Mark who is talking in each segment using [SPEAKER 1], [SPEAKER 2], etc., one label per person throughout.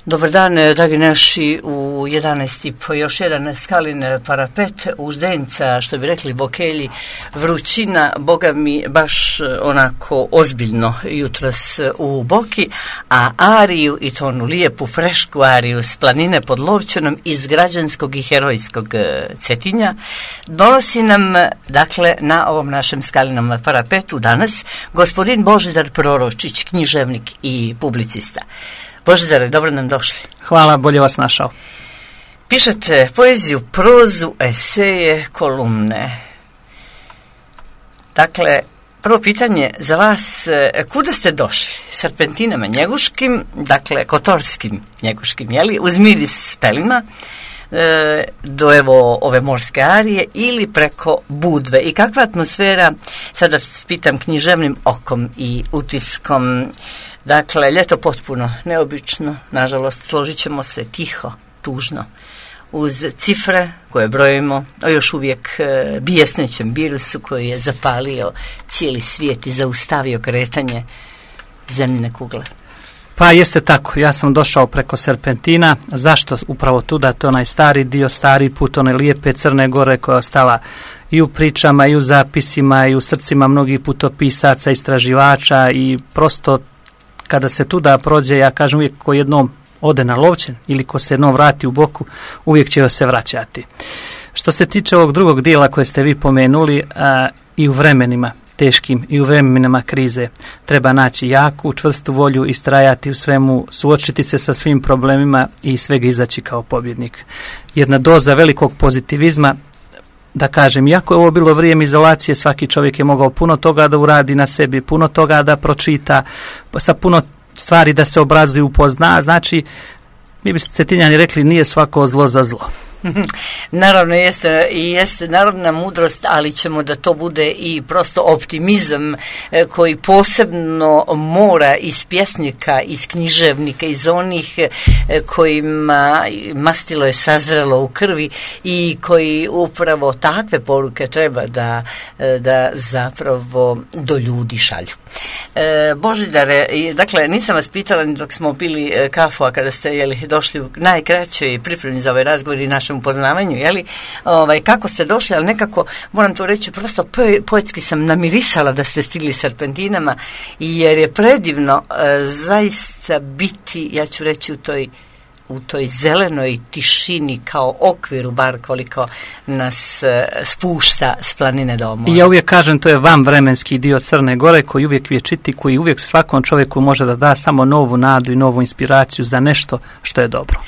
[SPEAKER 1] Dobar dan, dragi naši, u 11:30 još jedan skalin parapet u Zdenca, što bi rekli Bokelji, vrućina, boga mi, baš onako ozbiljno jutros u Boki, a ariju, i to onu lijepu frešku ariju s planine pod Lovćenom iz građanskog i herojskog Cetinja, donosi nam, dakle, na ovom našem skalinom parapetu danas gospodin Božidar Proročić, književnik i publicista. Božidare, dobro nam došli.
[SPEAKER 2] Hvala, bolje vas našao.
[SPEAKER 1] Pišete poeziju, prozu, eseje, kolumne. Dakle, prvo pitanje za vas, kuda ste došli? Serpentinama njeguškim, dakle, kotorskim njeguškim, jeli, uz miris pelima, do evo ove morske arije ili preko Budve? I kakva atmosfera, sada pitam književnim okom i utiskom, dakle, ljeto potpuno neobično, nažalost, složit ćemo se, tiho, tužno, uz cifre koje brojimo o još uvijek bijesnećem virusu koji je zapalio cijeli svijet i zaustavio kretanje zemljine kugle.
[SPEAKER 2] Pa jeste tako, ja sam došao preko Serpentina. Zašto upravo tuda? To je onaj stari dio, stari put, one lijepe Crne Gore koja je ostala i u pričama, i u zapisima, i u srcima mnogih putopisaca, istraživača, i prosto kada se tuda prođe, ja kažem uvijek, ko jednom ode na Lovćen ili ko se jednom vrati u Boku, uvijek će se vraćati. Što se tiče ovog drugog dijela koje ste vi pomenuli, i u vremenima teškim i u vremenima krize treba naći jaku, čvrstu volju, istrajati u svemu, suočiti se sa svim problemima i svega izaći kao pobjednik. Jedna doza velikog pozitivizma, da kažem, iako je ovo bilo vrijeme izolacije, svaki čovjek je mogao puno toga da uradi na sebi, puno toga da pročita, sa puno stvari da se obrazuje, upozna. Znači, mi bi Cetinjani rekli, nije svako zlo za zlo.
[SPEAKER 1] Naravno jeste narodna mudrost, ali ćemo da to bude i prosto optimizam koji posebno mora iz pjesnika, iz književnika, iz onih kojima mastilo je sazrelo u krvi i koji upravo takve poruke treba da zapravo do ljudi šalju. Božidare, dakle, nisam vas pitala ni dok smo pili kafu, a kada ste došli u najkraćoj pripremi za ovaj razgovor i našem upoznavanju, kako ste došli, ali nekako, moram to reći, prosto poetski sam namirisala da ste stigli Serpentinama, jer je predivno zaista biti, ja ću reći, u toj zelenoj tišini kao okviru, bar koliko nas spušta s planine do mora.
[SPEAKER 2] Ja uvijek kažem, to je vanvremenski dio Crne Gore koji uvijek vječiti, koji uvijek svakom čovjeku može da da samo novu nadu i novu inspiraciju za nešto što je dobro.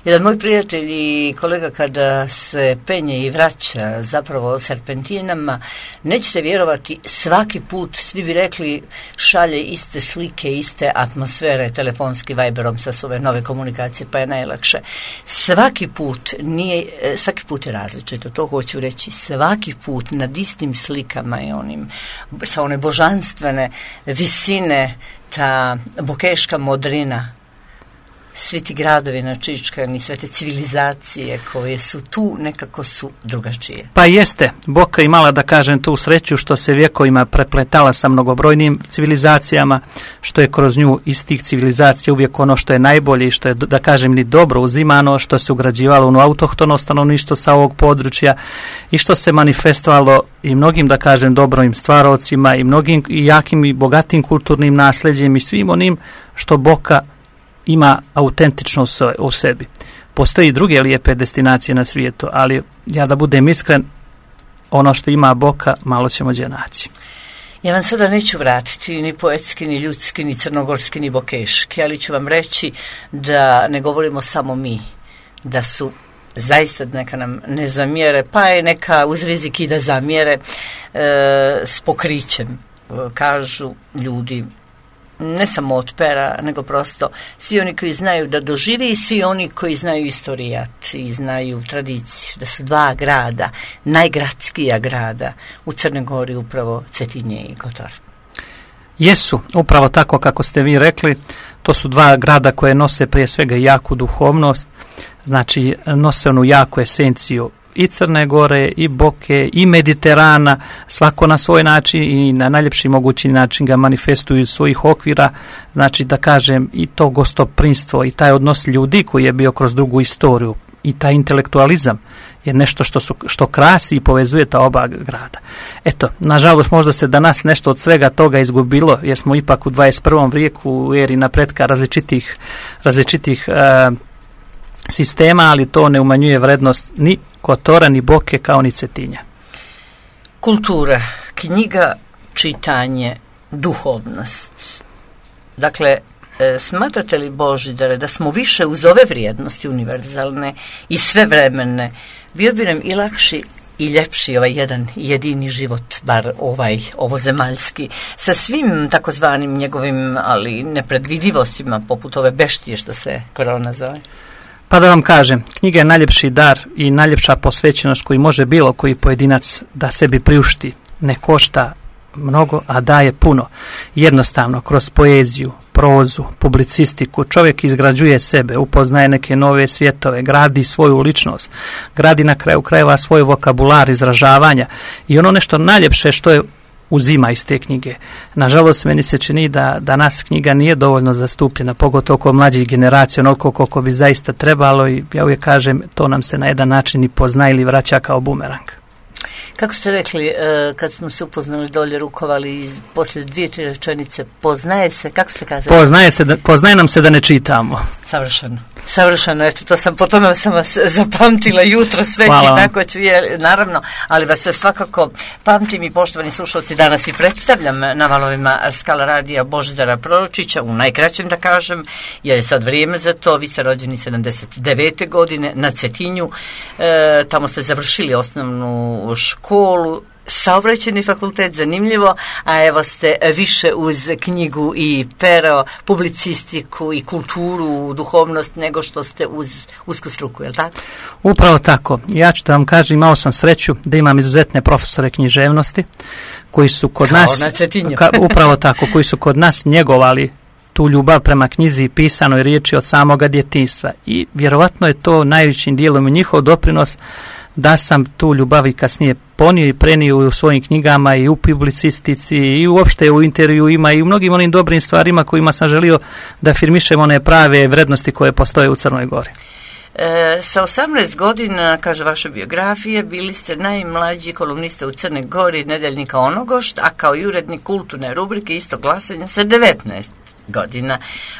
[SPEAKER 1] Jedan moj prijatelj i kolega kada se penje i vraća zapravo Serpentinama, nećete vjerovati, svaki put, svi bi rekli, šalje iste slike, iste atmosfere telefonskim Viberom sa ove nove komunikacije, pa je najlakše. Svaki put je različito, to hoću reći, svaki put nad istim slikama i onim, sa one božanstvene visine, ta bokeška modrina, svi ti gradovi načičkani, sve te civilizacije koje su tu, nekako su drugačije.
[SPEAKER 2] Pa jeste, Boka imala, da kažem, tu sreću što se vjekovima prepletala sa mnogobrojnim civilizacijama, što je kroz nju iz tih civilizacija uvijek ono što je najbolje i što je, da kažem, ni dobro uzimano, što se ugrađivalo u autohtono stanovništvo sa ovog područja i što se manifestovalo i mnogim, da kažem, dobrovim stvarocima i mnogim i jakim i bogatim kulturnim nasljeđem i svim onim što Boka ima autentično u sebi. Postoji i druge lijepe destinacije na svijetu, ali ja da budem iskren, ono što ima Boka, malo ćemo gdje naći.
[SPEAKER 1] Ja vam sada neću vratiti ni poetski, ni ljudski, ni crnogorski, ni bokeški, ali ću vam reći da ne govorimo samo mi, da su zaista, neka nam ne zamjere, pa je neka uz rizik i da zamjere s pokrićem, kažu ljudi, ne samo od pera, nego prosto svi oni koji znaju da dožive i svi oni koji znaju istorijat i znaju tradiciju, da su dva grada, najgradskija grada u Crnoj Gori, upravo Cetinje i Kotor.
[SPEAKER 2] Jesu, upravo tako kako ste vi rekli, to su dva grada koje nose prije svega jaku duhovnost, znači nose onu jaku esenciju i Crne Gore, i Boke, i Mediterana, svako na svoj način i na najljepši mogući način ga manifestuju iz svojih okvira, znači da kažem i to gostoprinstvo i taj odnos ljudi koji je bio kroz dugu istoriju i taj intelektualizam je nešto što krasi i povezuje ta oba grada. Eto, nažalost možda se danas nešto od svega toga izgubilo, jer smo ipak u 21. vijeku u eri napretka različitih sistema, ali to ne umanjuje vrednost ni Kotora, ni Boke, kao ni Cetinja.
[SPEAKER 1] Kultura, knjiga, čitanje, duhovnost. Dakle, smatrate li, Božidare, da smo više uz ove vrijednosti univerzalne i svevremene, bio bi nam i lakši i ljepši ovaj jedan jedini život, bar ovozemaljski, sa svim takozvanim njegovim, ali nepredvidivostima, poput ove beštije što se korona zove?
[SPEAKER 2] Pa da vam kažem, knjiga je najljepši dar i najljepša posvećenost koji može bilo koji pojedinac da sebi priušti. Ne košta mnogo, a daje puno. Jednostavno, kroz poeziju, prozu, publicistiku, čovjek izgrađuje sebe, upoznaje neke nove svjetove, gradi svoju ličnost, gradi na kraju krajeva svoj vokabular izražavanja i ono nešto najljepše što je uzima iz te knjige. Nažalost, meni se čini da danas knjiga nije dovoljno zastupljena, pogotovo kod mlađih generacija, onoliko koliko bi zaista trebalo i ja uvijek kažem, to nam se na jedan način i pozna ili vraća kao bumerang.
[SPEAKER 1] Kako ste rekli, kad smo se upoznali dolje, rukovali poslije 2-3 rečenice, poznaje se, kako ste kazali?
[SPEAKER 2] Poznaje nam se da ne čitamo.
[SPEAKER 1] Savršeno, eto, po tome sam vas zapamtila jutro sve i tako ću, naravno, ali vas se svakako pamtim i poštovani slušalci, danas i predstavljam na valovima Skala radija Božidara Proročića, u najkraćem da kažem, jer je sad vrijeme za to. Vi ste rođeni 79. godine na Cetinju, tamo ste završili osnovnu školu, Saobraćajni fakultet, zanimljivo, a evo ste više uz knjigu i pero, publicistiku i kulturu, duhovnost, nego što ste uz usku struku, je li tako?
[SPEAKER 2] Upravo tako. Ja ću da vam kažem, imao sam sreću da imam izuzetne profesore književnosti koji su kod nas, upravo tako, koji su kod nas njegovali tu ljubav prema knjizi i pisanoj riječi od samoga djetinjstva i vjerovatno je to najvećim dijelom njihov doprinos da sam tu ljubav i kasnije ponio i prenio u svojim knjigama i u publicistici i uopšte u intervjuima i u mnogim onim dobrim stvarima kojima sam želio da afirmišem one prave vrednosti koje postoje u Crnoj Gori.
[SPEAKER 1] Sa 18 godina, kaže vaše biografije, bili ste najmlađi kolumnista u Crnoj Gori Nedeljnika Onogošt, a kao i urednik kulturne rubrike Isto glasanje sa 19 godina.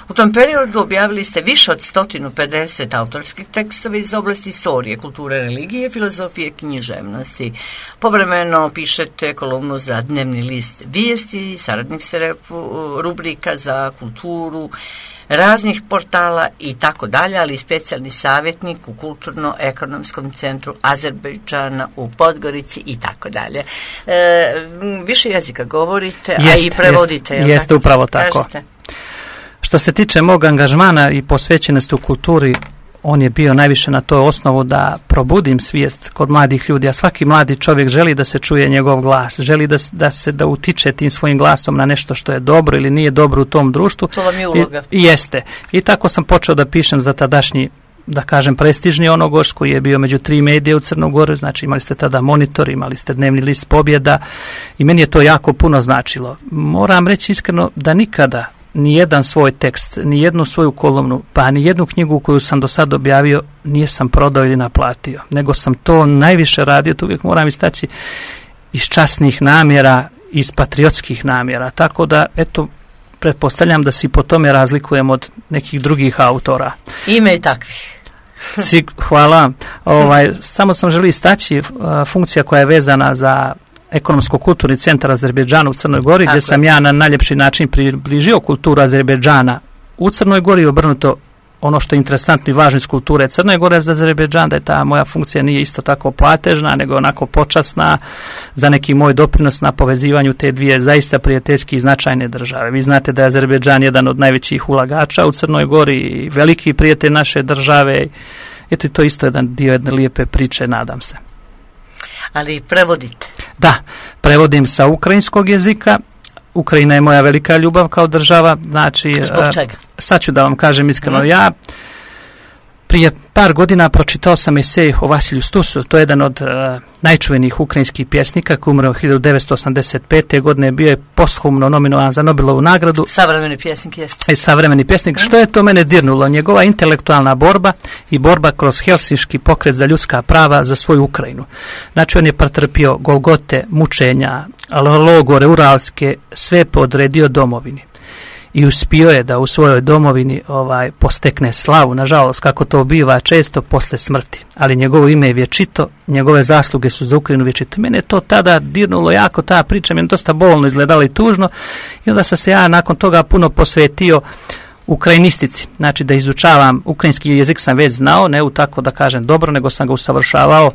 [SPEAKER 1] U tom periodu objavili ste više od 150 autorskih tekstova iz oblasti istorije, kulture, religije, filozofije, književnosti. Povremeno pišete kolumnu za dnevni list Vijesti, saradnik ste rubrika za kulturu, raznih portala i tako dalje, ali i specijalni savjetnik u Kulturno-ekonomskom centru Azerbejdžana u Podgorici i tako dalje. Više jezika govorite, a i prevodite.
[SPEAKER 2] Jeste upravo tako. Kažete? Što se tiče mog angažmana i posvećenosti u kulturi, on je bio najviše na toj osnovu da probudim svijest kod mladih ljudi, a svaki mladi čovjek želi da se čuje njegov glas, želi da utiče tim svojim glasom na nešto što je dobro ili nije dobro u tom društvu.
[SPEAKER 1] To vam je uloga.
[SPEAKER 2] I jeste. I tako sam počeo da pišem za tadašnji, da kažem, prestižni Onogoš, koji je bio među 3 medije u Crnogoru, znači imali ste tada Monitor, imali ste dnevni list Pobjeda i meni je to jako puno značilo. Moram reći iskreno da nikada ni jedan svoj tekst, ni jednu svoju kolumnu, pa ni jednu knjigu koju sam do sad objavio nisam prodao ili naplatio, nego sam to najviše radio, to uvijek moram istaći, iz časnih namjera, iz patriotskih namjera, tako da, eto, pretpostavljam da se po tome razlikujem od nekih drugih autora.
[SPEAKER 1] Ima i takvih.
[SPEAKER 2] Hvala. Samo sam želio istaći funkcija koja je vezana za ekonomsko-kulturni centar Azerbejdžana u Crnoj Gori, gdje sam ja na najljepši način približio kulturu Azerbejdžana u Crnoj Gori i obrnuto ono što je interesantno i važno iz kulture Crne Gore za Azerbejdžan, da je ta moja funkcija nije isto tako platežna, nego onako počasna za neki moj doprinos na povezivanju te dvije zaista prijateljski i značajne države. Vi znate da je Azerbejdžan jedan od najvećih ulagača u Crnoj Gori i veliki prijatelj naše države. Eto, to je isto jedan dio jedne lijepe priče, nadam se.
[SPEAKER 1] Ali prevodite?
[SPEAKER 2] Da, prevodim sa ukrajinskog jezika. Ukrajina je moja velika ljubav kao država. Znači,
[SPEAKER 1] zbog čega?
[SPEAKER 2] Sad ću da vam kažem iskreno, ja Prije par godina pročitao sam esej o Vasilju Stusu, to je jedan od najčuvenijih ukrajinskih pjesnika koji umro 1985. godine, bio je posthumno nominovan za Nobelovu nagradu.
[SPEAKER 1] Savremeni pjesnik jeste.
[SPEAKER 2] Savremeni pjesnik. Što je to mene dirnulo? Njegova intelektualna borba i borba kroz helsinški pokret za ljudska prava za svoju Ukrajinu. Znači on je pretrpio golgote, mučenja, logore, uralske, sve podredio domovini. I uspio je da u svojoj domovini postekne slavu, nažalost, kako to biva često posle smrti. Ali njegovo ime je vječito, njegove zasluge su za Ukrajinu vječito. Mene je to tada dirnulo jako, ta priča mi je dosta bolno izgledala i tužno. I onda sam se ja nakon toga puno posvetio ukrajinistici. Znači da izučavam, ukrajinski jezik sam već znao, ne u tako da kažem dobro, nego sam ga usavršavao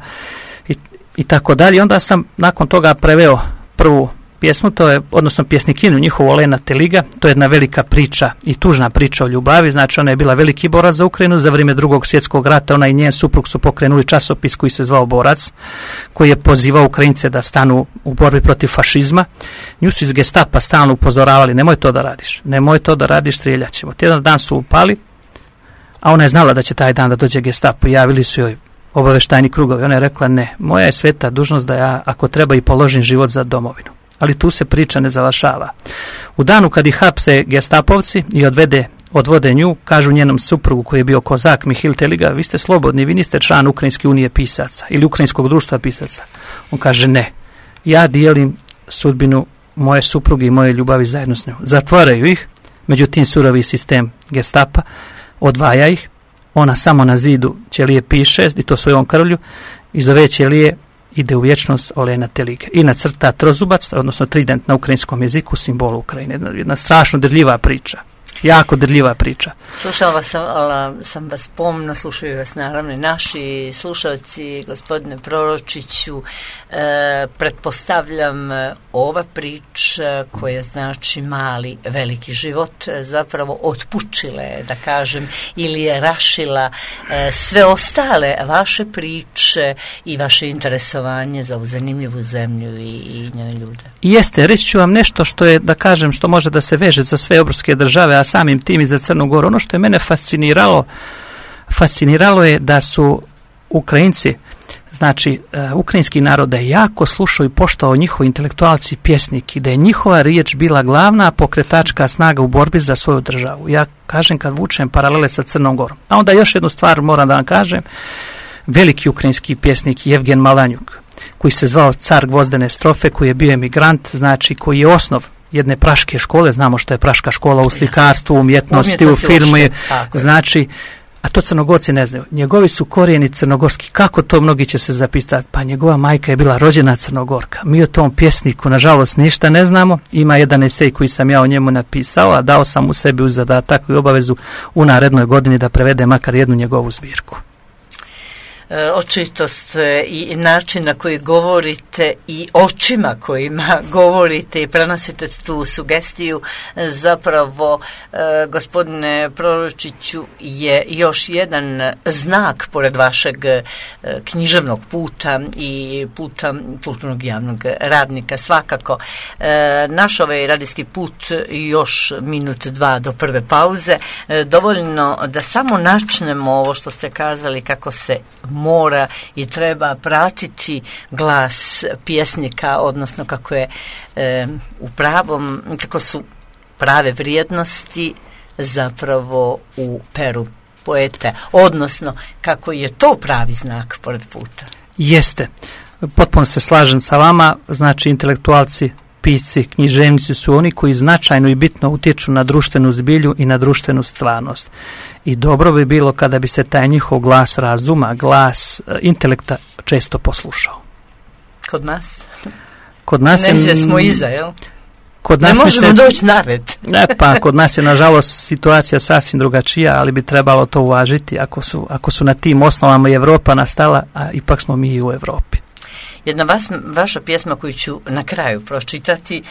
[SPEAKER 2] i tako dalje. Onda sam nakon toga preveo prvu pjesmu, to je, odnosno pjesnikinu njihovu Olena Teliga, to je jedna velika priča i tužna priča o ljubavi, znači ona je bila veliki borac za Ukrajinu, za vrijeme Drugog svjetskog rata ona i njen suprug su pokrenuli časopis koji se zvao Borac, koji je pozivao Ukrajince da stanu u borbi protiv fašizma. Nju su iz Gestapa stalno upozoravali, nemoj to da radiš, strijeljat ćemo. Jedan dan su upali, a ona je znala da će taj dan da dođe Gestapo, javili su joj obavještajni krugovi, ona je rekla ne, moja je sveta dužnost da ja ako treba i položim život za domovinu. Ali tu se priča ne završava. U danu kad ih hapse gestapovci i odvode nju, kažu njenom suprugu koji je bio kozak Mihil Teliga, vi ste slobodni, vi niste član Ukrajinske unije pisaca ili Ukrajinskog društva pisaca. On kaže ne, ja dijelim sudbinu moje supruge i moje ljubavi zajedno s njom. Zatvaraju ih, međutim surovi sistem Gestapa odvaja ih, ona samo na zidu ćelije piše, i to svojom krvlju, iz ove ćelije ide u vječnost Olena Teliga i nacrta trozubac, odnosno trident na ukrajinskom jeziku, simbol Ukrajine. Jedna strašno dirljiva priča. Jako dirljiva priča.
[SPEAKER 1] Slušala sam vas pomno, slušaju vas naravno i naši slušalci, gospodine Proročiću. Pretpostavljam ova priča koja znači mali, veliki život zapravo otpučile, da kažem, ili je rašila sve ostale vaše priče i vaše interesovanje za ovu zanimljivu zemlju i njene ljude.
[SPEAKER 2] Jeste, reći ću vam nešto što je, da kažem, što može da se veže za sve evropske države, a samim tim i za Crnu Goru. Ono što je mene fasciniralo je da su Ukrajinci, znači ukrajinski narod, da je jako slušao i poštovao njihovi intelektualci i pjesniki, da je njihova riječ bila glavna pokretačka snaga u borbi za svoju državu. Ja kažem kad vučem paralele sa Crnom Gorom. A onda još jednu stvar moram da vam kažem, veliki ukrajinski pjesnik Jevgen Malanjuk, koji se zvao car gvozdene strofe, koji je bio emigrant, znači koji je osnov jedne praške škole, znamo što je praška škola u slikarstvu, umjetnosti, u filmu, znači, a to Crnogorci ne znaju. Njegovi su korijeni crnogorski. Kako to, mnogi će se zapitati? Pa njegova majka je bila rođena Crnogorka. Mi o tom pjesniku, nažalost, ništa ne znamo. Ima jedan esej koji sam ja o njemu napisao, a dao sam u sebi u zadatak i obavezu u narednoj godini da prevede makar jednu njegovu zbirku.
[SPEAKER 1] Očitost i način na koji govorite i očima kojima govorite i prenosite tu sugestiju zapravo, gospodine Proročiću, je još jedan znak pored vašeg književnog puta i puta kulturnog javnog radnika. Svakako, naš ovaj radijski put još minut, dva do prve pauze, dovoljno da samo načnemo ovo što ste kazali, kako se mora i treba pratiti glas pjesnika, odnosno kako je kako su prave vrijednosti zapravo u peru poete, odnosno kako je to pravi znak pored puta.
[SPEAKER 2] Jeste, potpuno se slažem sa vama, znači intelektualci, pisci, književnici su oni koji značajno i bitno utječu na društvenu zbilju i na društvenu stvarnost. I dobro bi bilo kada bi se taj njihov glas razuma, glas intelekta često poslušao.
[SPEAKER 1] Kod nas?
[SPEAKER 2] Kod nas
[SPEAKER 1] neđe smo iza, jel?
[SPEAKER 2] Kod nas
[SPEAKER 1] ne možemo doći na red.
[SPEAKER 2] Pa kod nas je nažalost situacija sasvim drugačija, ali bi trebalo to uvažiti ako su na tim osnovama Evropa nastala, a ipak smo mi i u Evropi.
[SPEAKER 1] jedna vaša pjesma koju ću na kraju pročitati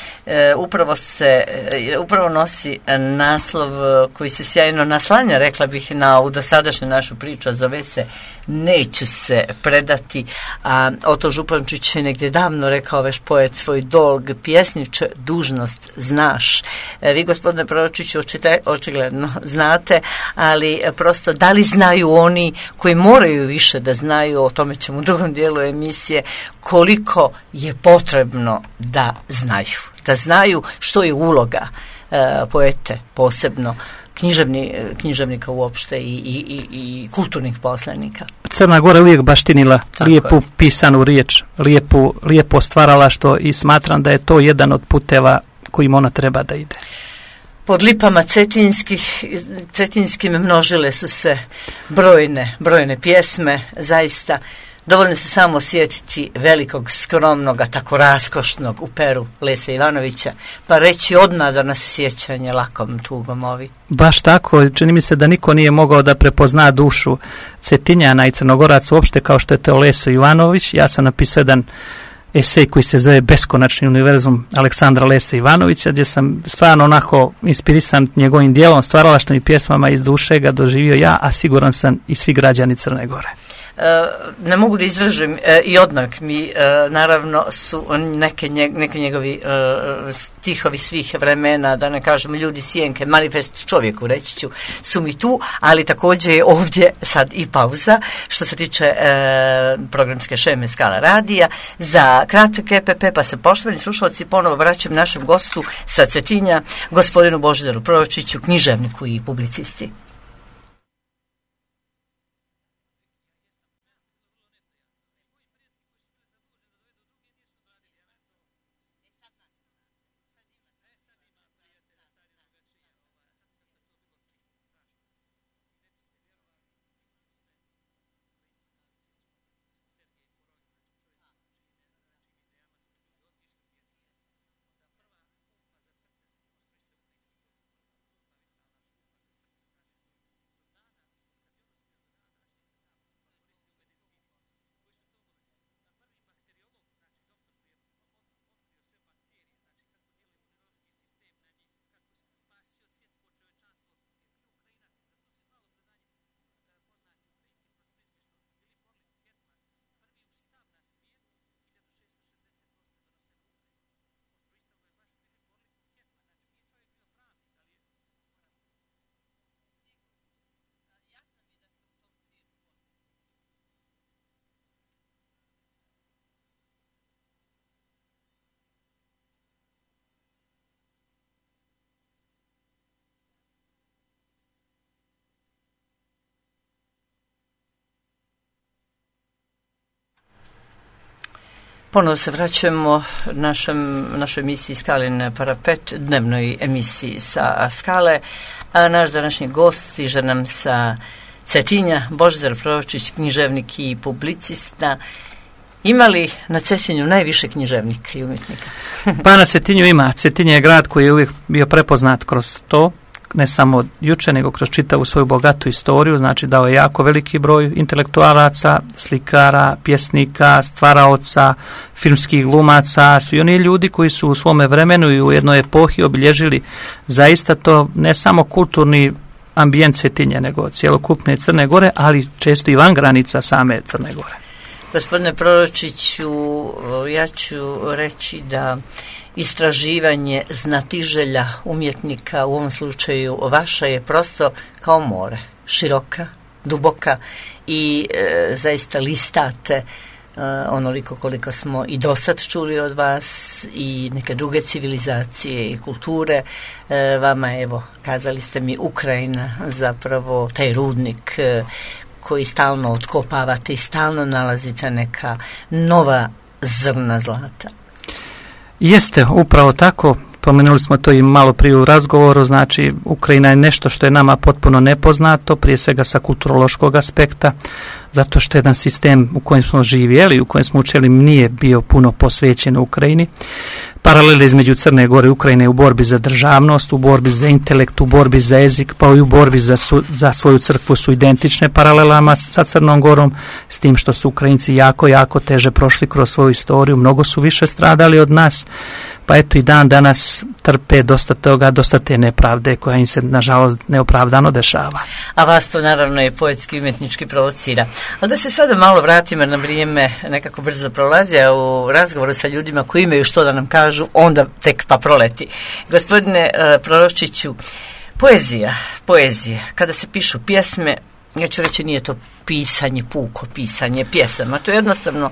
[SPEAKER 1] upravo nosi naslov koji se sjajno naslanja, rekla bih, na ovu dosadašnju našu priču, a zove se Neću se predati. A Oto Župančić je negdje davno rekao, veš poet, svoj dolg pjesniče dužnost znaš. Vi, gospodine Proročiću, očigledno znate, ali prosto da li znaju oni koji moraju više da znaju, o tome ćemo u drugom dijelu emisije, koliko je potrebno da znaju što je uloga poete, posebno književnika uopšte i kulturnih poslanika.
[SPEAKER 2] Crna Gora uvijek baštinila lijepu pisanu riječ, lijepo stvaralaštvo i smatram da je to jedan od puteva kojim ona treba da ide.
[SPEAKER 1] Pod lipama cetinskim množile su se brojne pjesme, zaista. Dovoljno se samo sjetiti velikog, skromnoga, tako raskošnog u peru Lese Ivanovića, pa reći odmah da nas sjećanje lakom tugom ovi.
[SPEAKER 2] Baš tako, čini mi se da niko nije mogao da prepozna dušu Cetinjana i Crnogoraca uopšte kao što je to Leso Ivanović. Ja sam napisao jedan esej koji se zove Beskonačni univerzum Aleksandra Lese Ivanovića, gdje sam stvarno onako inspirisan njegovim dijelom, stvaralaštvom i pjesmama iz duše ga doživio ja, a siguran sam i svi građani Crne Gore.
[SPEAKER 1] Ne mogu da izražim i odmah mi naravno su neke njegovi stihovi svih vremena, da ne kažemo Ljudi sjenke, manifest čovjeku, reći ću, su mi tu, ali također je ovdje sad i pauza što se tiče programske šeme Skala radija za kratak EPP, pa se, poštovani slušalci, ponovo vraćam našem gostu sa Cetinja, gospodinu Božidaru Proročiću, književniku i publicisti. Ponovo se vraćamo našoj emisiji Skalin parapet, dnevnoj emisiji sa Skale, a naš današnji gost stiže nam sa Cetinja, Božidar Proročić, književnik i publicista. Ima li na Cetinju najviše književnika i umjetnika?
[SPEAKER 2] Pa na Cetinju ima. Cetinje je grad koji je uvijek bio prepoznat kroz to, ne samo juče, nego kroz čitavu svoju bogatu istoriju, znači dao je jako veliki broj intelektualaca, slikara, pjesnika, stvaraoca, filmskih glumaca, svi oni ljudi koji su u svome vremenu i u jednoj epohi obilježili zaista to ne samo kulturni ambijent Cetinje, nego cjelokupne Crne Gore, ali često i van granica same Crne Gore.
[SPEAKER 1] Gospodine Proročiću, ja ću reći da istraživanje znatiželja umjetnika, u ovom slučaju vaša, je prosto kao more, široka, duboka i zaista listate onoliko koliko smo i dosad čuli od vas i neke druge civilizacije i kulture. Vama, evo, kazali ste mi, Ukrajina zapravo taj rudnik koji stalno otkopavate i stalno nalazite neka nova zrna zlata.
[SPEAKER 2] Jeste, upravo tako. spomenuli smo to i malo prije u razgovoru, znači Ukrajina je nešto što je nama potpuno nepoznato, prije svega sa kulturološkog aspekta, zato što jedan sistem u kojem smo živjeli, u kojem smo učili, nije bio puno posvećen Ukrajini. Paralele između Crne Gore i Ukrajine u borbi za državnost, u borbi za intelekt, u borbi za jezik, pa i u borbi za svoju crkvu su identične paralelama sa Crnom Gorom, s tim što su Ukrajinci jako teže prošli kroz svoju istoriju, mnogo su više stradali od nas, pa eto i dan danas trpe dosta toga, dosta te nepravde koja im se nažalost neopravdano dešava.
[SPEAKER 1] A vas to naravno je poetski umjetnički provocira. Ali da se sada malo vratimo na vrijeme, nekako brzo prolazi, a u razgovoru sa ljudima koji imaju što da nam kažu, onda tek pa proleti. Gospodine Proročiću, poezija, kada se pišu pjesme, ja ću reći nije to pisanje, puko pisanje pjesama, to je jednostavno,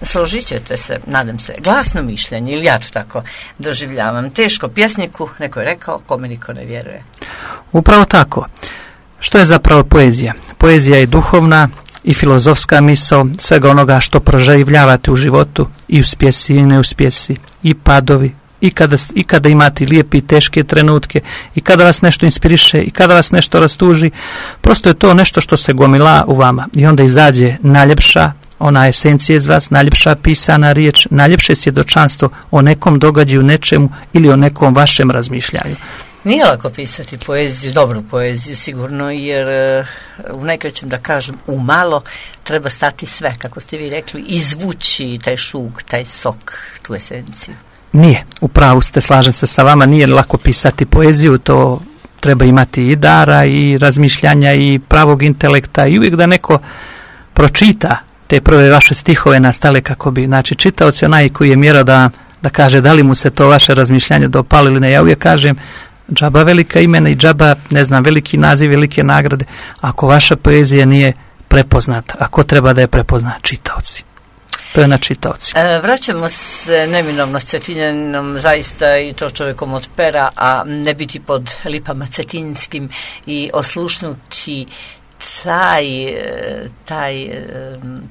[SPEAKER 1] složit ćete se, nadam se, glasno mišljenje, ili ja to tako doživljavam. Teško pjesniku, neko je rekao, kome niko ne vjeruje.
[SPEAKER 2] Upravo tako. Što je zapravo poezija? Poezija je duhovna i filozofska misao svega onoga što proživljavate u životu, i uspjesi i neuspjesi, i padovi, i kada imate lijepe i teške trenutke, i kada vas nešto inspiriše, i kada vas nešto rastuži. Prosto je to nešto što se gomila u vama i onda izađe najljepša ona esencija iz vas, najljepša pisana riječ, najljepše svjedočanstvo o nekom događaju, nečemu ili o nekom vašem razmišljanju.
[SPEAKER 1] Nije lako pisati poeziju, dobru poeziju sigurno, jer u najkraćem da kažem, u malo treba stati sve, kako ste vi rekli, izvući taj šuk, taj sok, tu esenciju.
[SPEAKER 2] Nije, u pravu ste, slažem se sa vama, nije lako pisati poeziju, to treba imati i dara i razmišljanja i pravog intelekta i uvijek da neko pročita te prve vaše stihove nastale kako bi, znači čitaoc je onaj koji je mjerao da kaže da li mu se to vaše razmišljanje dopalo ili ne. Ja uvijek kažem, džaba velika imena i džaba, ne znam, veliki naziv, velike nagrade, ako vaša poezija nije prepoznata, ako treba da je prepozna, čitaoci. To je na čitaoci.
[SPEAKER 1] Vraćamo se neminovno s Cetinjanom, zaista i to čovjekom od pera, a ne biti pod lipama cetinskim i oslušnuti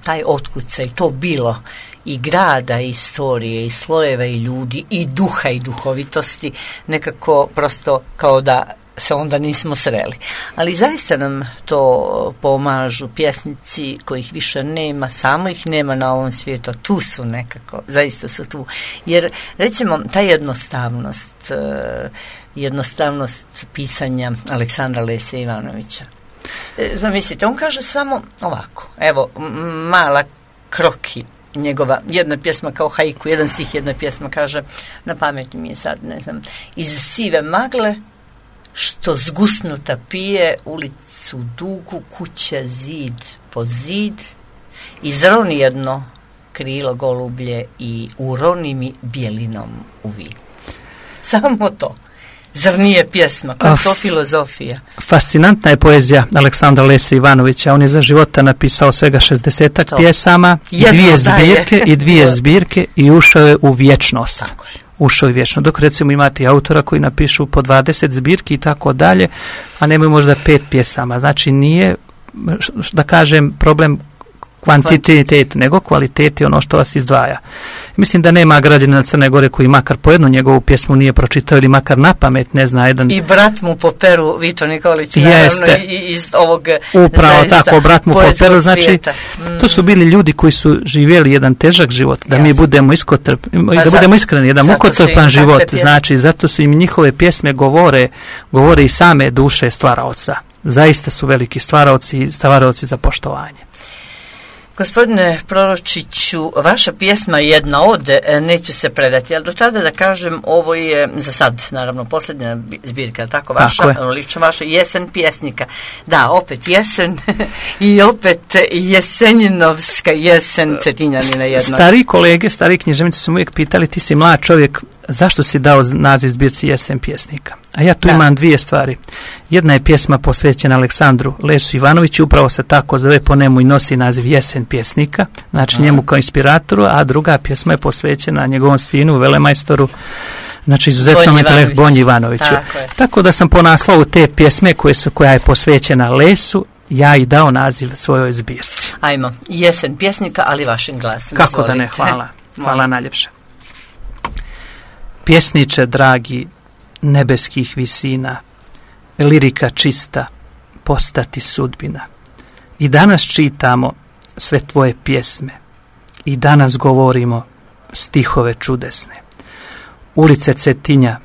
[SPEAKER 1] taj otkucaj, to bilo i grada, i istorije, i slojeva, i ljudi, i duha, i duhovitosti, nekako prosto kao da se onda nismo sreli. Ali zaista nam to pomažu pjesnici kojih više nema, samo ih nema na ovom svijetu, a tu su nekako, zaista su tu. Jer recimo ta jednostavnost pisanja Aleksandra Lese Ivanovića. Zamislite, on kaže samo ovako, evo, mala kroki, njegova jedna pjesma kao haiku, jedan stih, jedna pjesma kaže, na pamet mi je sad, ne znam, iz sive magle, što zgusnuta pije, ulicu dugu, kuća zid po zid, izroni jedno krilo golublje i uroni mi bijelinom u vid. Samo to. Zar nije pjesma? Koja je to filozofija?
[SPEAKER 2] Fascinantna je poezija Aleksandra Lese Ivanovića. On je za života napisao svega 60 pjesama, i dvije zbirke i ušao je u vječnost.
[SPEAKER 1] Tako je.
[SPEAKER 2] Ušao je vječno. Dok recimo imate autora koji napišu po 20 zbirki i tako dalje, a nemaju možda 5 pjesama. Znači nije, da kažem, problem kvantitet, nego kvalitet je ono što vas izdvaja. Mislim da nema građanina Crne Gore koji makar po jednu njegovu pjesmu nije pročitao ili makar na pamet ne zna jedan.
[SPEAKER 1] I brat mu po peru, Vito Nikolić, naravno, iz ovog
[SPEAKER 2] upravo tako, brat mu po peru, znači to su bili ljudi koji su živjeli jedan težak život, da mi budemo da budemo iskreni, jedan mukotrpan život, znači zato su im njihove pjesme govore i same duše stvaraoca. Zaista su veliki stvaraoci i stvaraoci za poštovanje.
[SPEAKER 1] Gospodine Proročiću, vaša pjesma jedna od, neću se predati, ali do tada da kažem, ovo je za sad, naravno, posljednja zbirka, tako vaša, lično vaša, Jesen pjesnika. Da, opet jesen i opet jesenjinovska jesen Cetinjanina jedna.
[SPEAKER 2] Stari književnici su uvijek pitali, ti si mlad čovjek, zašto si dao naziv zbirci Jesen pjesnika? A ja tu imam dvije stvari. Jedna je pjesma posvećena Aleksandru Lesu Ivanoviću, upravo se tako zove, po njemu i nosi naziv Jesen pjesnika, znači njemu kao inspiratoru, a druga pjesma je posvećena njegovom sinu, velemajstoru, znači izuzetnom intelektu Bonji Ivanoviću. Tako da sam po naslovu te pjesme koja je posvećena Lesu, ja i dao naziv svojoj zbirci.
[SPEAKER 1] Ajmo, Jesen pjesnika, ali vašim glasom.
[SPEAKER 2] Kako da ne, hvala najljepše. Pjesniče dragi nebeskih visina, lirika čista, postati sudbina. I danas čitamo sve tvoje pjesme. I danas govorimo stihove čudesne. Ulice Cetinja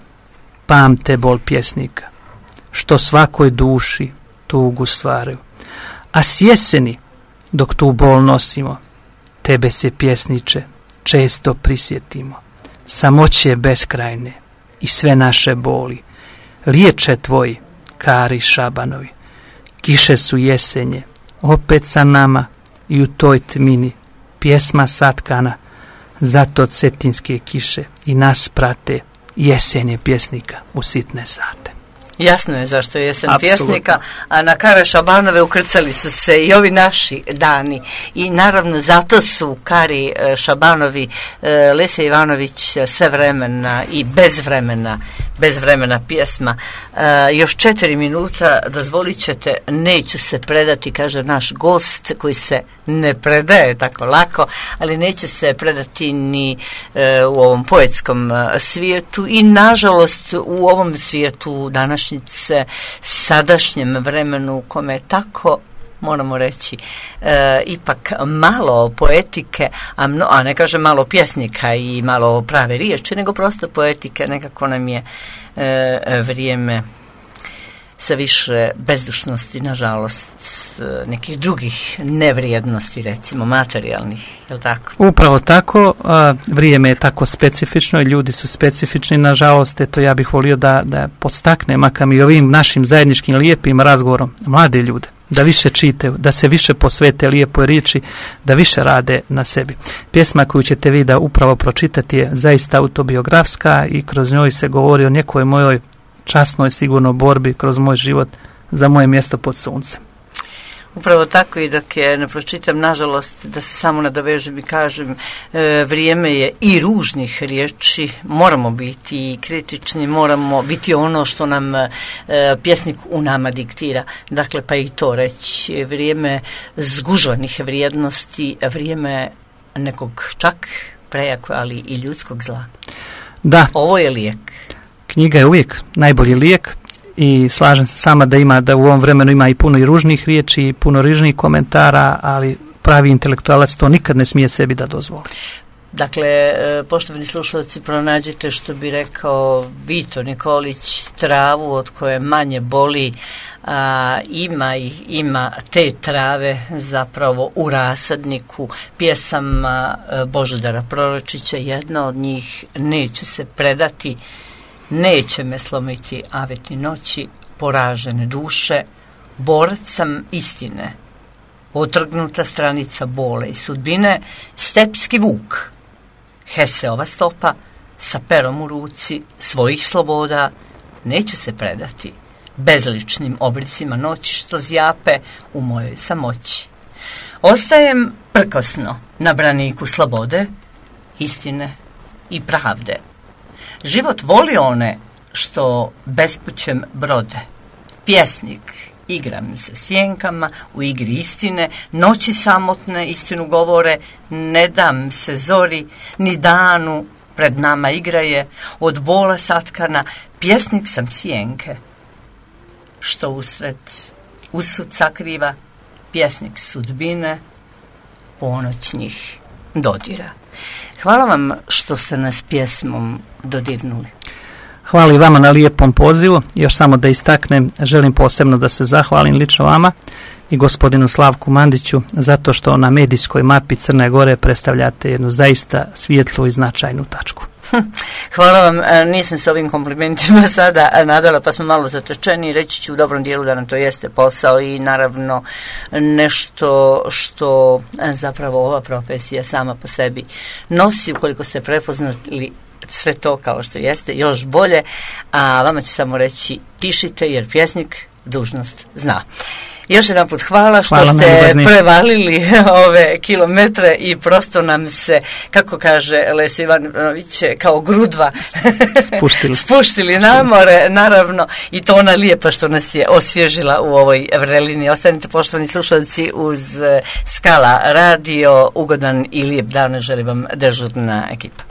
[SPEAKER 2] pamte bol pjesnika, što svakoj duši tugu stvaraju. A s jeseni, dok tu bol nosimo, tebe se pjesniče često prisjetimo. Samoće beskrajne i sve naše boli liječe tvoji kari Šabanovi. Kiše su jesenje opet sa nama i u toj tmini pjesma satkana, zato cetinske kiše i nas prate jesenje pjesnika u sitne sate.
[SPEAKER 1] Jasno je zašto je jesen pjesnika, a na Kare Šabanove ukrcali su se i ovi naši dani. I naravno zato su Kari Šabanovi, Lesja Ivanović svevremena i bezvremena pjesma. Još 4 minuta, dozvolit ćete, neću se predati, kaže naš gost koji se ne predaje tako lako, ali neće se predati ni u ovom poetskom svijetu i nažalost u ovom svijetu današnjice, sadašnjem vremenu u kome je tako, moramo reći, ipak malo poetike, a ne kažem malo pjesnika i malo prave riječi, nego prosto poetike. Nekako nam je vrijeme sa više bezdušnosti, nažalost, nekih drugih nevrijednosti, recimo materijalnih, je li tako?
[SPEAKER 2] Upravo tako, vrijeme je tako specifično i ljudi su specifični, nažalost, eto ja bih volio da podstaknem, makar i ovim našim zajedničkim lijepim razgovorom, mlade ljude, da više čitaju, da se više posvete lijepoj riječi, da više rade na sebi. Pjesma koju ćete vi da upravo pročitati je zaista autobiografska i kroz njoj se govori o nekoj mojoj časnoj sigurno borbi kroz moj život za moje mjesto pod suncem.
[SPEAKER 1] Upravo tako, i dok je ne pročitam, nažalost, da se samo nadovežem i kažem, vrijeme je i ružnih riječi, moramo biti kritični, moramo biti ono što nam pjesnik u nama diktira, dakle pa i to reći, vrijeme zgužvanih vrijednosti, vrijeme nekog čak prejako, ali i ljudskog zla.
[SPEAKER 2] Da.
[SPEAKER 1] Ovo je lijek.
[SPEAKER 2] Knjiga je uvijek najbolji lijek i slažem se sama da u ovom vremenu ima i puno i ružnih riječi i puno ružnih komentara, ali pravi intelektualac to nikad ne smije sebi da dozvoli.
[SPEAKER 1] Dakle, poštovani slušalci, pronađite, što bi rekao Vito Nikolić, travu od koje manje boli, ima te trave zapravo u rasadniku pjesama Božidara Proročića. Jedna od njih, neću se predati, neće me slomiti aveti noći, poražene duše, borac sam istine, otrgnuta stranica bole i sudbine, stepski vuk, Heseova stopa, sa perom u ruci svojih sloboda, neću se predati bezličnim obrisima noći što zjape u mojoj samoći. Ostajem prkosno na braniku slobode, istine i pravde. Život voli one što bespućem brode. Pjesnik, igram se sjenkama u igri istine, noći samotne istinu govore, ne dam se zori, ni danu pred nama igraje, od bola satkana, pjesnik sam sjenke, što usred usud sakriva, pjesnik sudbine, ponoćnih dodira. Hvala vam što ste nas pjesmom dodirnuli.
[SPEAKER 2] Hvala i vama na lijepom pozivu. Još samo da istaknem, želim posebno da se zahvalim lično vama i gospodinu Slavku Mandiću zato što na medijskoj mapi Crne Gore predstavljate jednu zaista svijetlu i značajnu tačku.
[SPEAKER 1] Hvala vam, nisam se ovim komplimentima sada nadala, pa smo malo zatečeni. Reći ću u dobrom dijelu da nam to jeste posao i naravno nešto što zapravo ova profesija sama po sebi nosi. Ukoliko ste prepoznali sve to kao što jeste, još bolje, a vama ću samo reći, pišite jer pjesnik dužnost zna. Još jedan put hvala što ste prevalili ove kilometre i prosto nam se, kako kaže Lesja Ivanović, kao grudva spuštili na more, naravno, i to ona lijepa što nas je osvježila u ovoj vrelini. Ostanite, poštovani slušalci, uz Skala radio. Ugodan i lijep dan želim vam dežurna ekipa.